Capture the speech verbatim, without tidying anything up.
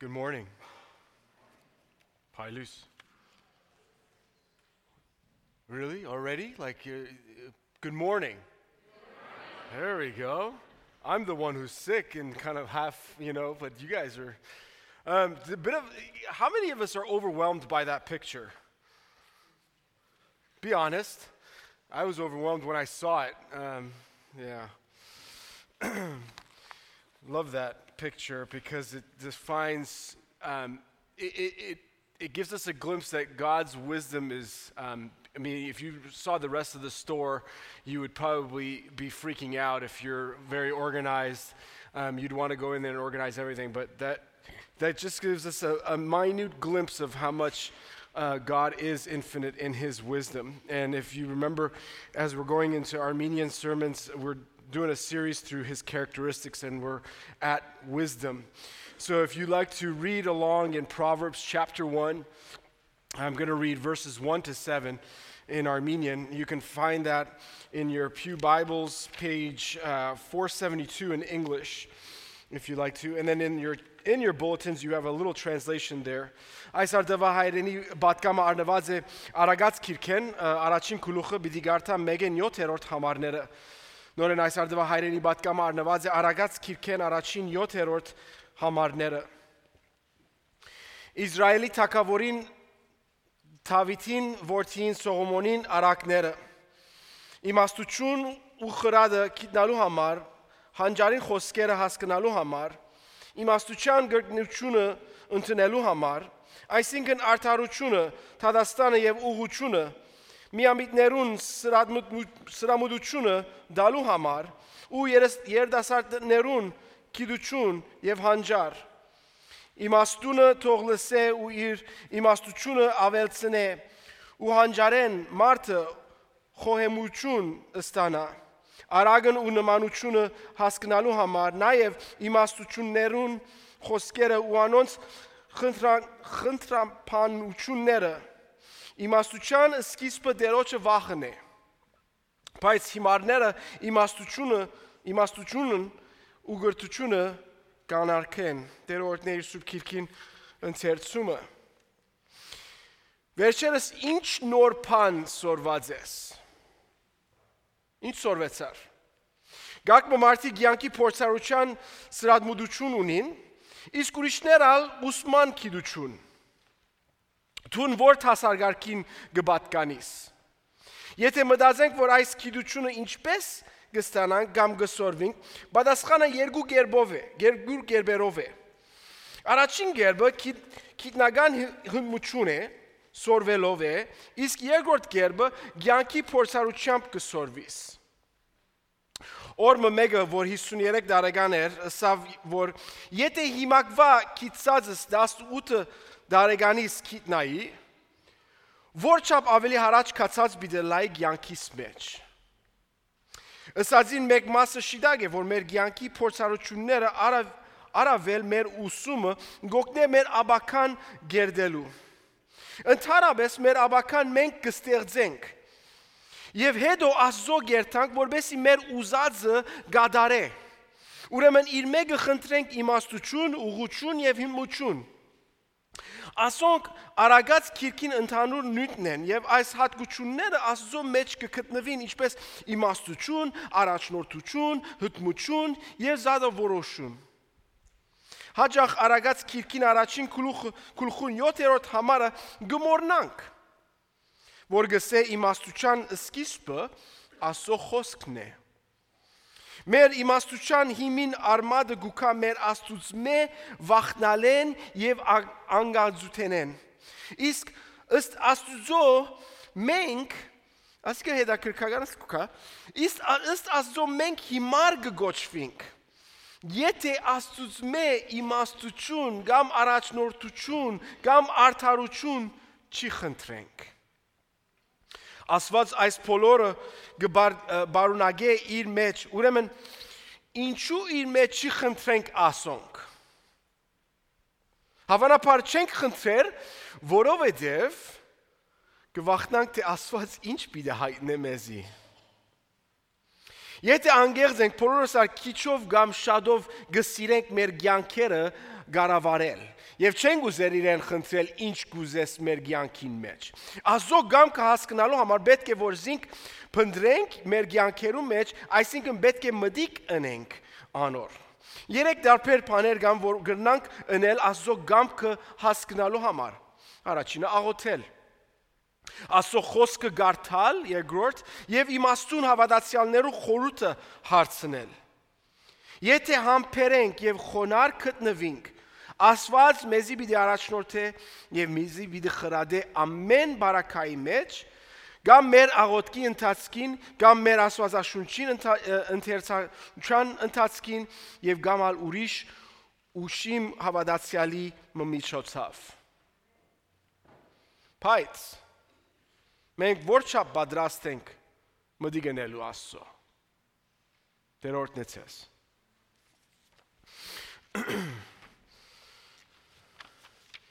Good morning. Pailus. Really? Already? Like, uh, uh, good morning. There we go. I'm the one who's sick and kind of half, you know, but you guys are. Um, a bit of. How many of us are overwhelmed by that picture? Be honest. I was overwhelmed when I saw it. Um, yeah. Love that picture because it defines, um, it, it, it, it gives us a glimpse that God's wisdom is, um, I mean, if you saw the rest of the store, you would probably be freaking out. If you're very organized, um, you'd want to go in there and organize everything. But that that just gives us a, a minute glimpse of how much uh, God is infinite in his wisdom. And if you remember, as we're going into Armenian sermons, we're doing a series through his characteristics, and we're at wisdom. So if you'd like to read along in Proverbs chapter one, I'm going to read verses one to seven in Armenian. You can find that in your Pew Bibles, page uh, four seventy-two in English, if you'd like to. And then in your in your bulletins, you have a little translation there. Այս արդվա հայրենի բատկամը արնված է արագած քիրքեն, առաջին գլուխը պիտի գարտա մեկ յոթերորդ համարները. Նորեն այս արդվա հայրենի բատկամը արնված է արագած քիրքեն առաջին յոթերորդ համարները. Իսրայելի թագավորին Դավիթին որդին Սողոմոնին արակները. Իմաստություն ու խրադը գտնալու համար, հանճարին խոսքերը հասկանալու համար, իմաստության գրգնությունը ընդունելու համար, այսինքն արդարությունը, թադաստանը եւ ուղղությունը, միամիտներուն սրամուտությունը դալու համար ու երդասարտներուն գիտություն եւ հանճար. Իմաստությունը թող լսե ու իր իմաստությունը ավելցնե ու հանճարեն մարդը խոհեմություն ստանա. Արագն ու նմանությունը հասկանալու համար նաև իմաստություններուն խոսքերը ու անոնց խնդրամփանությունները. Իմաստության սկիզբը Տերոջը վախն է. Բայց հիմարները իմաստությունը, իմաստությունն ու գրթությունը կանարգեն. Տերորդների սուրբ քիրքին ընթերցումը. Վերջերս ինչ նոր բան սորված ես? Ինչ սորվեցար? Գակմը մարդիկ յանքի փորձառության սրադմուդություն ունին, իսկ ուրիշներ ալ ուսման գիտություն. Թուն որ հասարգարքին գբատկանիս. Եթե մտածենք, որ այս գիտությունը ինչպես գստանանք կամ գսորվենք, պատասխանը երկու կերպով է, երկու կերպերով է. Առաջին կերպը գիտնական հմտություն է, սորվելով է, իսկ երկրորդ կերպը կյանքի փորձառությամբ կսորվիս. Օրը մեկը, որ հիսուներեք տարեկան էր, ասավ, որ եթե հիմակվա գիտածս տասնութ տարեկանից գիտնայի, որ չափ ավելի հարաճ կացած պիտի լայի կյանքիս մեջ. Ըսածին մեկ մասը շիդակ է, որ մեր կյանքի փորձառությունները առավել մեր ուսումը գօգնե մեր աբական գերդելու. Ընդհանրապես մեր աբական մենք կստեղծենք եւ հետո Աստծո գերտանք, որբեսի մեր ուզածը գադարե. Ուրեմն իր մեկը խնդրենք իմաստություն, ուղղություն եւ հիմություն. Ասոնք արագած քիրքին ընդհանուր նյութն են եւ այս հատկությունները Աստծո մեջ կգտնվին ինչպես իմաստություն, առաջնորդություն, հտմություն եւ զադավորություն. Հաջող արագած քիրքին առաջին գլուխուն յոթերորդ համարը գմորնանք, որ գսե իմաստության սկիզբը Աստծո խոսքն է. Մեր իմաստության հիմին արմատը գուքա մեր Աստծուծմե վախնալեն եւ անգածութենեն. Իսկ ըստ Աստծո մենք, ասկե հետաքրքրականս գուքա, իսկ ըստ Աստծո մենք հիմար կգոչվենք. Եթե Աստծուծմե իմաստություն կամ առաջնորդություն կամ արդարություն չի խնդրենք. Աստված այս բոլորը գբարունագե իր մեջ, ուրեմն ինչու իր մեջ չի խնդրենք ասոնք. Հավանաբար չենք խնդրեր, որովհետև կվախնանք, թե Աստված ինչ պիտի հայտնե մեզի. Եթե անգեղծ ենք, բոլորս ալ քիչով կամ շատով գսիրենք մեր կյանքերը գարավարել եւ չենք ուզեր իրեն խնդրել ինչ կուզես մեր կյանքին մեջ։ Աստծո կամքը հասկանալու համար պետք է որ զինք փնտրենք մեր կյանքերում մեջ, այսինքն պետք է մտիկ ընենք անոր։ Երեք դարբեր բաներ կան, որ գրնանք ընել Աստծո կամքը հասկանալու համար։ Առաջինը աղոթել։ Աստծո խոսքը գարթալ, երկրորդ, եւ իմաստուն հավատացյալներու խորհուրդը հարցնել։ Եթե համբերենք եւ խոնար գտնվենք, Աստված մեզի պիտի առաջնորդե եւ մեզի պիտի խրադե ամեն բարակայի մեջ, կամ մեր աղոթքի ընթացքին, կամ մեր աստվածաշունչին ընթերցության ընթացքին եւ կամ ալ ուրիշ ուշիմ հավատացյալի միջոցով։ Բայց մենք որչափ պատրաստ ենք մտի գնելու Աստծո։ Տերորդն է ցես։